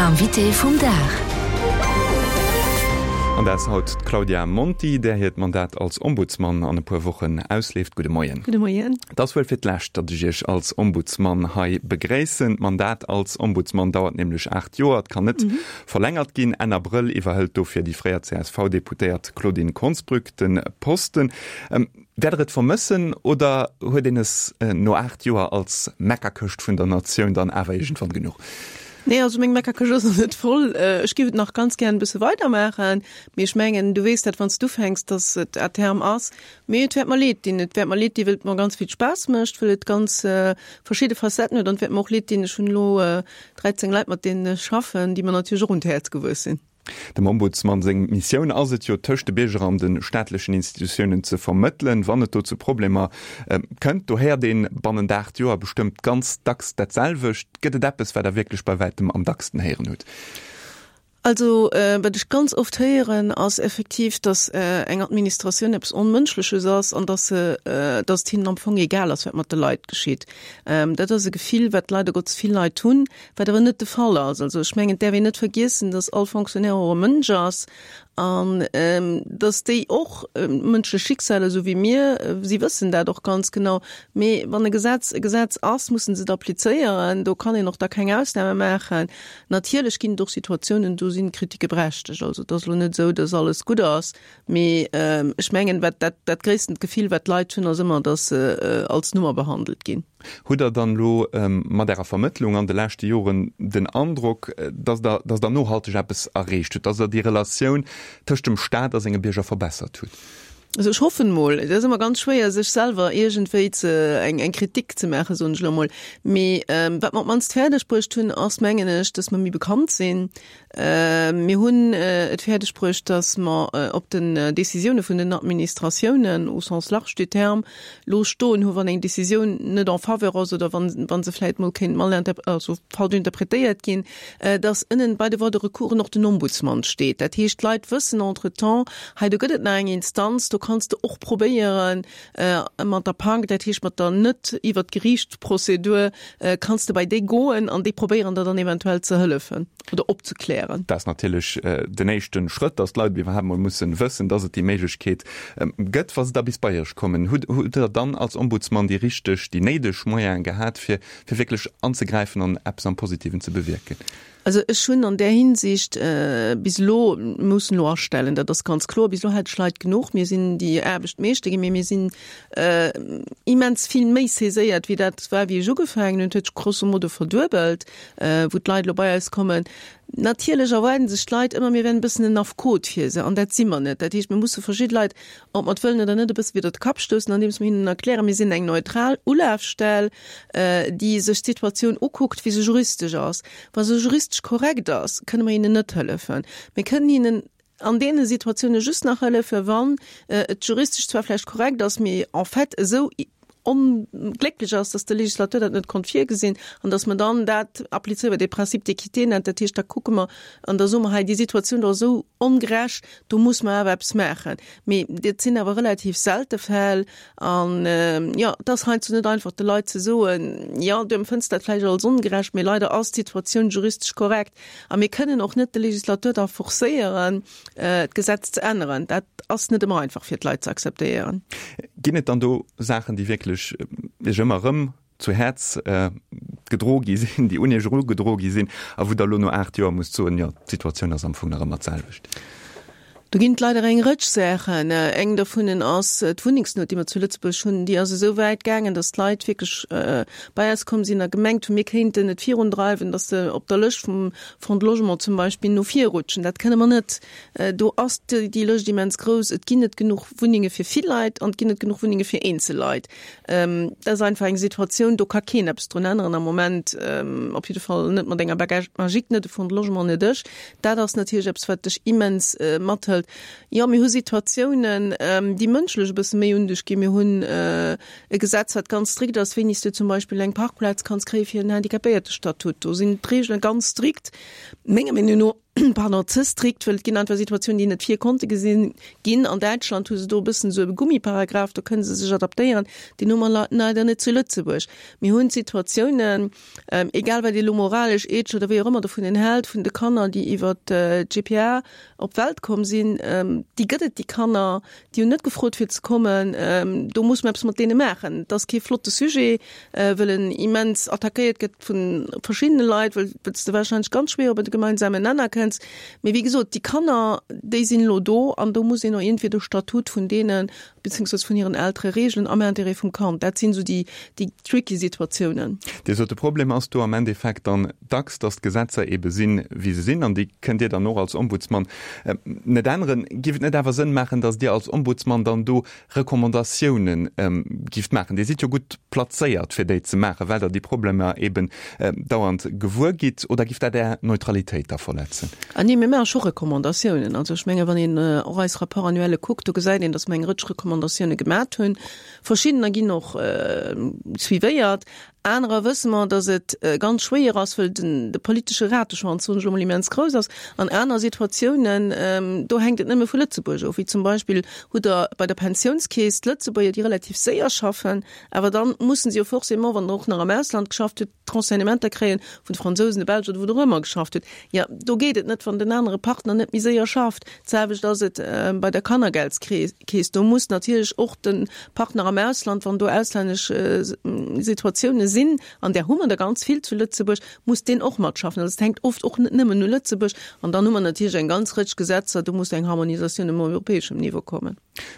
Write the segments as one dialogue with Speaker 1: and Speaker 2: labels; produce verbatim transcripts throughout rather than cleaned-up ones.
Speaker 1: Invité vum Dag.
Speaker 2: An dat ass haut d'Claudia Monti, där hiert Mandat als Ombudsman an e puer Wochen ausleeft. Gudde Moien.
Speaker 3: Gudde Moien.
Speaker 2: Et ass wuel fir d'lescht, datt ech Iech als Ombudsman hei begréissen. D'Mandat als Ombudsman dauert nämlech aacht Joer, et kann net verlängert ginn. Enn Abrëll iwwerhëlt dofir déi fréier C S V-Deputéiert Claudine Konsbrück de Posten. Wäert Der et vermëssen oder huet een es no aacht Joer als Meckerkëscht vun der Natioun dann awer iergendwann genuch?
Speaker 3: Nee, also meng Meckerkëscht ass nach net voll. Ech géif et nach ganz gären e bësse weidermaachen. Mee ech mengen, du weess dat, wann s du ufänks, dass et à terme ass. Mee et wäert mer leed dinn. Et wäert mer leed dinn, well et mer ganz vill Spaass mécht, well et ganz verschidde Facetten huet. An et wäert mer och leed dinn, ech hunn elo dräizéng Leit, mat deenen ech schaffen, déi mer natierlech och un d'Häerz gewuess sinn.
Speaker 2: Dem Ombudsman seng Missioun ass et jo, tëscht de Bierger an de staatlechen Institutiounen ze vermëttelen, wann et do zu Problemer kënnt. Do héiert ee bannent aacht Joer bestëmmt ganz dacks dat selwecht. Gëtt et eppes, wat Der wierklech bei wäitem am dacksten héieren hutt?
Speaker 3: Also wat ech ganz oft héieren, ass effektiv, datt eng Administratioun eppes Onmënschleches ass an datt se, datt et hinnen am Fong egal ass, wat mat de Leit geschitt. Dat ass e Gefill, wat leider Gottes vill Leit hunn, wat awer net de Fall ass. Also ech mengen, et däerf een net vergiessen, datt all Fonctionnaire och e Mënsch ass an datt déi och mënschlech Schicksaler, esou wéi mir, si wëssen dat och ganz genau. Mee wann e Gesetz e Gesetz ass, mussen se et applizéieren. Do kann een och da keng Ausname maachen. Natierlech ginn et och Situatiounen, do sinn d'Kritike berechtegt. Also et ass elo net esou, datt alles gutt ass. Mee ech mengen, wat dat, dat gréisstent Gefill, wat d'Leit hunn, ass ëmmer, datt se als Nummer behandelt ginn.
Speaker 2: Hutt Der dann elo mat Ärer Vermëttlung an de leschte Joren den Androck, datt Der, datt Der nohalteg eppes erreecht hutt, datt Der déi Relatioun tëscht dem Staat a senge Bierger verbessert hutt?
Speaker 3: Also ech hoffen mol. Et ass ëmmer ganz schwéier, sech selwer iergendwéi ze, eng, eng Kritik ze maachen, soen ech elo mol. Mee wat mer op d'mannst fäerdeg bruecht hunn, ass, mengen ech, datt mer méi bekannt sinn. Mir hunn et fäerdeg bruecht, datt mer op den Décisioune vun den Administratiounen, au sens large du terme, lo stoen hu wann eng Décisioun net en faveur ass oder wann, wann se vläicht mol kéint mal also falsch interpretéiert ginn, datt ënnen bei de Voies de recours och den Ombudsman steet. Dat heescht, d'Leit wëssen entretemps, hei do gëtt et nach eng Instanz, do kanns de och probéieren mat der Pank, dat heescht mat der net iwwer d'Geriichtsprozedur, kanns de bei déi goen an déi probéieren der dann eventuell ze hëllefen oder opzeklären.
Speaker 2: Dat ass natierlech den éischte Schrëtt, datt d'Leit iwwerhaapt mol mussen wëssen, datt et déi Méiglechkeet gëtt. Wa se da bis bei Iech kommen, hutt Der dann als Ombudsman déi richteg, déi néideg Moyene gehat, fir fir wierklech anzegräifen an eppes am Positiven ze bewierken?
Speaker 3: Also ech hunn an där Hinsicht bis elo mussen elo astellen, dat ass ganz kloer, bis elo hat ech Leit genuch. Mir sinn déi Aarbecht meeschter ginn, mee mir sinn immens vill méi saiséiert, wéi dat war, wéi ech ugefaangen hunn. Et huet sech grosso modo verduebelt, wou d'Leit elo bei eis kommen. Natierlech erwaarden sech d'Leit ëmmer, mir wären e bëssen en Affekot fir se, an dat si mer net. Dat heescht, mir musse verschidde Leit, ob mer et wëllen oder net, e bësse widder de Kapp stoussen, andeems mer hinnen erklären, mir sinn eng neutral Ulafstell, déi sech d'Situatioun ukuckt, wéi se juristesch ass. Wa se juristesch korrekt ass, kënne mer hinnen net hëllefen. Mir kënnen hinnen an deene Situatioune just nach hëllefen, wann et juristesch zwar vläicht korrekt ass, mee en fait esou onglécklech ass, dass de Législateur dat net konnt virgesinn an dass mer dann dat applizéieren, wat de Principe d'équité nennt. Dat heescht, da kucke mer an da soe mer, hei déi Situatioun do ass esou ongerecht, do muss mer awer eppes maachen. Mee dat sinn awer relativ selte Fäll an, jo, et ass heiansdo net einfach de Leit ze soen, jo, du empfënns dat vläicht als ongerecht, mee leider ass d'Situatioun juristesch korrekt a mir kënnen och net de Législateur da forcéieren, d'Gesetz ze änneren. Dat ass net ëmmer einfach fir d'Leit ze akzeptéieren.
Speaker 2: Ginn et dann do Saachen, déi wierklech Iech ëmmer erëm zu Häerz gedro gi sinn, déi un Iech erugedro gi sinn a wou Der elo no aacht Joer musst soen, jo, d'Situatioun ass am Fong nach ëmmer d'selwecht?
Speaker 3: Do ginn et leider eng Rëtsch Saachen. Eng dovunnen ass d'Wunnengsnout, déi mer zu Lëtzebuerg hunn. Déi ass esou wäit gaangen, datt d'Leit wierklech bei eis komm sinn a gemengt hunn, mir kéinten et virundreiwen, datt se op der Lëscht vum Fonds de Logement zum Beispill no vir rutschen. Dat kënne mer net. Do ass déi Lëscht immens grouss. Et ginn net genuch Wunnenge fir vill Leit an et ginn net genuch Wunnenge fir eenzel Leit. Dat ass einfach eng Situatioun, do ka keen eppes drun änneren am Moment, op jidde Fall net mat enger Baguette magique, net de Fonds de Logement, net ech. Dat ass natierlech eppes, wat dech immens mathëlt. Jo, mir hu Situatiounen, déi mënschlech e bësse méi un dech ginn. Mir hunn e Gesetz, wat ganz strikt ass, wéini s du zum Beispill eng Parkplaz kanns kréie fir en Handicapéiertestatut. Do sinn d'Reegele ganz strikt, menger Meenung no. pardon, ze strikt, well et ginn einfach Situatiounen, déi net vir konnte gesinn ginn. An Däitschland hu se do e bëssen esou e Gummiparagraf, do kënne se sech adaptéieren, deen hu mer leider net zu Lëtzebuerg. Mir hunn Situatiounen, egal wat ee lo moralesch, ethesch oder wéi och ëmmer dovun hält, vun de Kanner, déi iwwer d'G P A op d'Welt komm sinn, déi gëtt et, déi Kanner, déi hunn net gefrot fir ze kommen, do muss mer eppes mat deene maachen. Et ass kee flotte Sujet, well en immens attackéiert gëtt vu verschiddene Leit, well s de warscheinlech ganz schwéier op e gemeinsamen Nenner kënns. Mee wéi gesot, déi Kanner, déi sinn elo do an do muss een och iergendwéi de Statut vun deenen, beziehungsweise vun hiren Eltere reegelen am Interêt vum Kand. Dat sinn esou déi, déi tricky Situatiounen.
Speaker 2: Dir sot, de Problem ass do am Endeffekt dann dacks, dass d'Gesetzer eebe sinn, wéi se sinn, an déi kënnt Dir dann och als Ombudsmann net änneren. Giff et net awer Sënn maachen, dass Dir als Ombudsmann dann do Recommandatiounen gifft maachen? Dir sidd jo gutt plazéiert, fir déi ze maachen, well Der déi Problemer eeben dauernd gewuer gitt. Oder giff dat Är Neutralitéit da verletzen?
Speaker 3: Ah nee, mir maache scho Recommandatiounen. Also ech menge wann een och eis Rapport-annuelle kuckt, do gesäit een, dass mer eng Rëtsch Recommandatioune gemat hunn. Verschiddener ginn och suivéiert. Anerer wësse mer, dass et ganz schwéier ass, wëll den de politesche Rateschwanz, soen ech elo mol, immens grouss ass. An aner Situatiounen, do hänkt et nëmme vu Lëtzebuerg of, wéi zum Beispill hutt Der bei der Pensiounskeess d'Lëtzebuerger, déi relativ séier schaffen, awer dann mussen se jo forcément, wann Der och nach am Ausland geschafft hutt, d'Renseignementer kréien vun de Fransousen, de Belsch oder wou Der och ëmmer geschafft hutt. Jo, do geet et net, wann den anere Partner net méi séier schafft. D'selwecht ass et bei der Kannergeldskeess. Do muss natierlech och de Partner am Ausland, wann do auslännesch Situatioune sinn, an där hu mer der ganz vill zu Lëtzebuerg, muss deen och matschaffen. Also et hänkt oft och net nëmmen u Lëtzebuerg. An dann hu mer natierlech eng ganz Rëtsch Gesetzer, do muss eng Harmonisatioun um europäeschem Niveau kommen.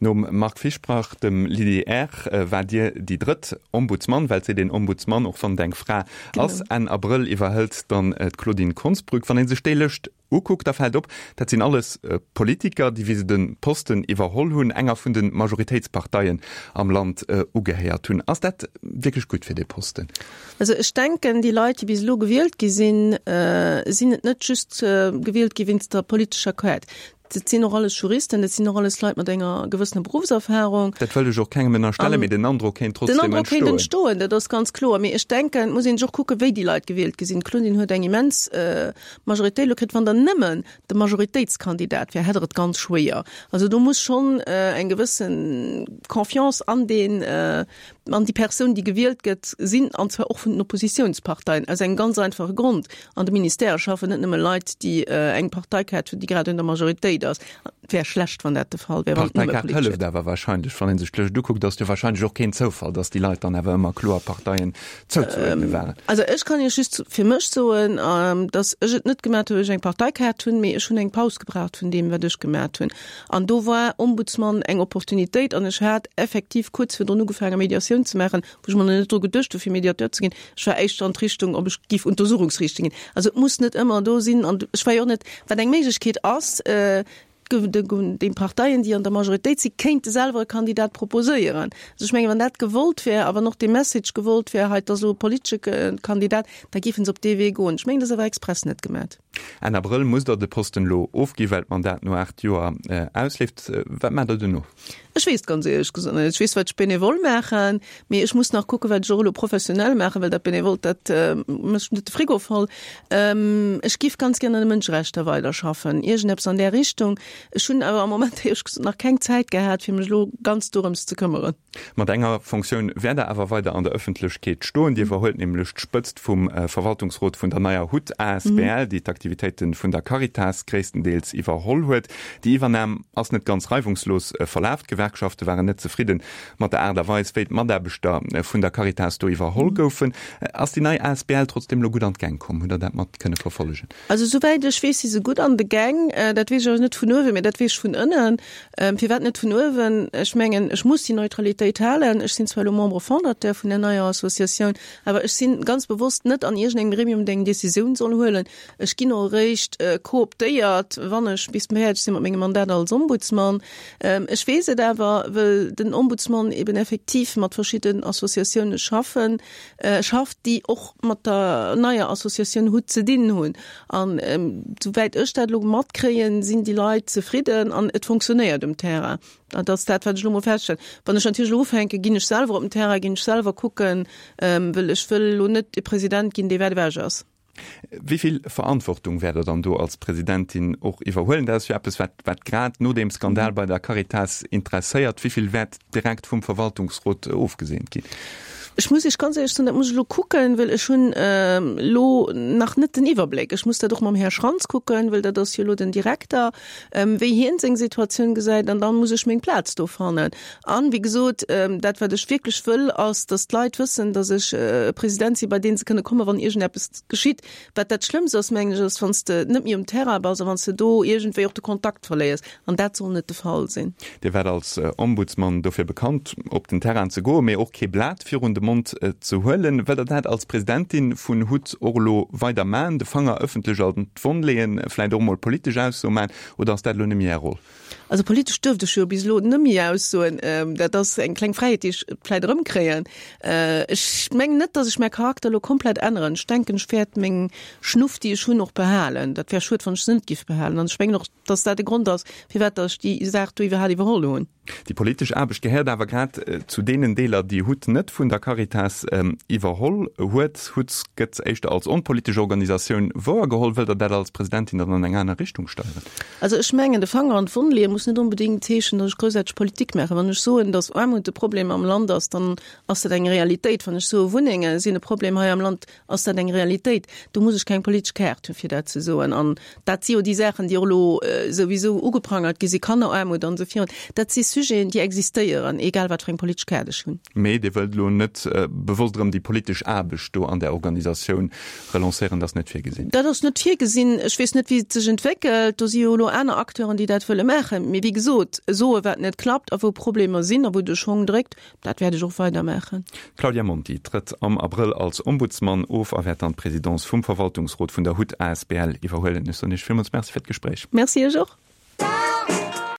Speaker 2: Nom Marc Fischbach, dem Lydie Err, waart Dir déi drëtt Ombudsman, well et seet een Ombudsman, och wann et eng Fra ass. Enn Abrëll iwwerhëlt dann d'Claudine Konsbrück. Wann ee sech déi Lëscht ukuckt, da fält op, dat sinn alles Politiker, déi, wéi se de Posten iwwerholl hunn, enger vun de Majoritéitsparteien am Land ugehéiert hunn. Ass dat wierklech gutt fir dee Posten?
Speaker 3: Also ech denken, déi Leit, déi bis elo gewielt gi sinn, sinn et net just gewielt gi wéinst der politescher Quête. Dat sinn och alles Juristen, dat sinn och alles Leit mat enger gewëssener Beruffserfahrung.
Speaker 2: Dat wëll ech och kengem ënnerstellen, mee den Androck kéint
Speaker 3: trotzdem entstoen. Den Androck kéint entstoen, dat ass ganz kloer. Mee ech denken, et muss een sech och kucken, wéi déi Leit gewielt gi sinn. D'Claudine huet eng immens Majoritéit elo kritt. Wann der nëmmen de Majoritéitskandidat wär, hätt der et ganz schwéier. Also do muss schonn eng gewësse Confiance an deen, an déi Persoun, déi gewielt gëtt, sinn, an zwar och vun den Oppositionsparteien, aus engem ganz einfache Grond, An de Ministèrë schaffen net nëmme Leit, déi eng Parteikaart hunn, déi grad un der Majoritéit ass. Et wär schlecht, wann dat de Fall wär, wann et nëmme
Speaker 2: D'Parteikaart
Speaker 3: politesch
Speaker 2: hëlleft awer wahrscheinlech, wann ee sech d'Lëscht ukuckt, ass jo wahrscheinlech och keen Zoufall, datt déi Leit dann awer ëmmer kloer Parteien zouzeuerdne waren.
Speaker 3: Also ech kann Iech just fir mech soen, datt ech et net gemat hu well ech eng Parteikaart hunn, mee ech hunn eng Paus gebraucht vun deem, wat ech gemat hunn. An do war Ombudsman eng Opportunitéit an ech hat effektiv kuerz virdrun ugefaange Mediatioun ze maachen, wou ech mer nach net dru geduecht hu fir Mediateur ze ginn. Ech war éischter an d'Richtung, ob ech giff Untersuchungsriichter ginn. Also et muss net ëmmer do sinn an ech war jo och net, wat eng Méiglechkeet ass, déi Parteien, déi an der Majoritéit si kéinte selwer e Kandidat proposéieren. Also ech mengen, wann dat gewollt wär a wann och dee Message gewollt wär, hei et ass elo e politesche Kandidat, da géife se op dee Wee goen. Ech mengen, dat ass awer express net gemat.
Speaker 2: Enn Abrëll musst Der de Posten elo ofginn, well d'Mandat no aacht Joer ausleeft. Wat maacht Der duerno?
Speaker 3: Ech weess et ganz éierlech gesot net. Ech weess, wat ech benevol maachen, mee ech muss nach kucken, wat ech och elo professionell maachen, well dat Benevolt, dat mécht net de Frigo voll. Ech géif ganz gär an de Mënscherechter weiderschaffen, iergendeppes an där Richtung. Ech hunn awer am Moment éierlech gesot nach keng Zäit gehat, fir mech elo ganz dorëms ze këmmeren.
Speaker 2: Mat enger Fonctioun wäert Der awer weider an der Ëffentlechkeet stoen. Dir iwwerhuelt nämlech d'Spëtzt vum Verwaltungsrot vun der neier hut asbl, déi d'Aktivitéite vun der Caritas gréisstendeels iwwerholl huet. Déi Iwwernam ass net ganz reiwungslos verlaf. D'Gewerkschafte waren net zefridde mat der Aart a Weis, wéi d'Mataarbechter vun der Caritas do iwwerholl goufen. Ass déi nei asbl trotzdeem elo gutt an d'Gäng komm? Hutt Der dat mat kënne verfollegen?
Speaker 3: Also souwäit ech weess, si se gutt an de Gäng. Dat weess ech awer net vun uewen, mee dat weess ech vun ënnen. Firwat net vun uewen? Ech mengen, ech muss déi Neutralitéit halen. Ech sinn zwar elo Membre fondateur vun der neier Associatioun, awer ech si ganz bewosst net an iergendengem Gremium, deen eng Décisioun soll huelen. Ech ginn och eréischt kooptéiert, wann ech bis fäerdeg sinn mat mengem Mandat als Ombudsman. Ech weess et awer, wëll den Ombudsman eben effektiv mat verschidden Associatioune schaffen, schafft, déi och mat der neier Associatioun hut ze dinn hunn. An souwäit ech dat elo matkréien, sinn déi Leit zefridden an et fonctionnéiert um Terrain. Dat ass dat, wat ech elo mol feststellen. Wann ech natierlech elo ufänken, ginn ech selwer op den Terrain, ginn ech selwer kucken, wëll ech wëll elo net e President ginn, dee wäit ewech ass.
Speaker 2: Wéi vill Verantwortung wäert Der dann do als Presidentin och iwwerhuelen? Dat ass jo eppes, wat, wat grad no deem Skandal bei der Caritas interesséiert. Wéi vill wäert direkt vum Verwaltungsrot ofgeseent ginn?
Speaker 3: Ech muss Iech ganz éierlech soen, dat muss ech elo kucken, well ech hunn elo nach net den Iwwerbléck. Ech muss dat och mam Här Schrantz kucken, well dat ass jo elo den Direkter, wéi hien seng Situatioun gesäit, an da muss ech meng Plaz do fannen. An, wéi gesot, dat wat ech wierklech wëll, ass, datt d'Leit wëssen, datt ech e President sinn, bei dee se kënne kommen, wann iergendeppes geschitt. Wat dat Schlëmmst ass, mengen ech, ass, wann s de net méi um Terrain bass a wann s de do iergendwéi och de Kontakt verléiers. An dat soll net de Fall sinn.
Speaker 2: Dir waart als Ombudsman dofir bekannt, op den Terrain ze goen, mee och kee Blat virun de Mond ze huelen. Wëllt Der dat als Presidentin vun hut och elo weider maachen, de Fanger ëffentlech an d'Wonn leeën, vläicht och emol politesch Aussoe maachen, oder ass dat elo net méi Är Roll?
Speaker 3: Also politesch duerft ech jo bis elo net méi aussoen. Dat ass eng kleng Fräiheet, déi ech vläicht erëmkréien. Ech mengen net, datt ech mäi Charakter elo komplett änneren. Ech denken, ech wäert meng Schnuff, déi ech hunn, och behalen. Dat wär schued, wann ech se net giff behalen. An ech mengen och, datt dat de Grond ass, firwat datt ech déi Saach do iwwerhaapt iwwerholl hunn.
Speaker 2: Déi politesch Aarbecht gehéiert awer grad zu deenen Deeler, déi hut net vun der Caritas iwwerholl huet. Hut gëtt éischter als onpolitesch Organisatioun wouergeholl. Wëllt Der dat als Presidentin dann an eng aner Richtung steieren?
Speaker 3: Also ech mengen, de Fanger an d'Wonn leeë muss net onbedéngt heeschen, datt ech groussaarteg Politik maachen. Wann ech soen, datt Aarmut e Problem am Land ass, dann ass dat eng Realitéit. Wann ech soe Wunnenge sinn e Problem hei am Land, ass dat eng Realitéit. Do muss ech keng politesch Kaart hunn, fir dat ze soen. An dat si jo déi Saachen, déi och elo souwisou ugeprangert gi sinn, Kanneraarmut an esou virun. Dat si Sujeten, déi existéieren, egal wat fir eng politesch Kaart ech hunn.
Speaker 2: Mee Dir wëllt elo net bewosst erëm déi politesch Aarbecht do an där Organisatioun relancéieren? Dat ass net virgesinn?
Speaker 3: Dat ass net virgesinn. Ech weess net, wéi et sech entwéckelt. Do si jo elo aner Acteuren, déi dat wëlle maachen. Mee wéi gesot, soe wat net klappt a wou Problemer sinn a wou de Schong dréckt, dat wäert ech och weider maachen.
Speaker 2: D'Claudia Monti trëtt am Abrëll als Ombudsman of a wäert dann d'Presidence vum Verwaltungsrot vun der hut asbl iwwerhuelen. Ech soen Iech villmools Merci fir d'Gespréich.
Speaker 3: Merci Iech och.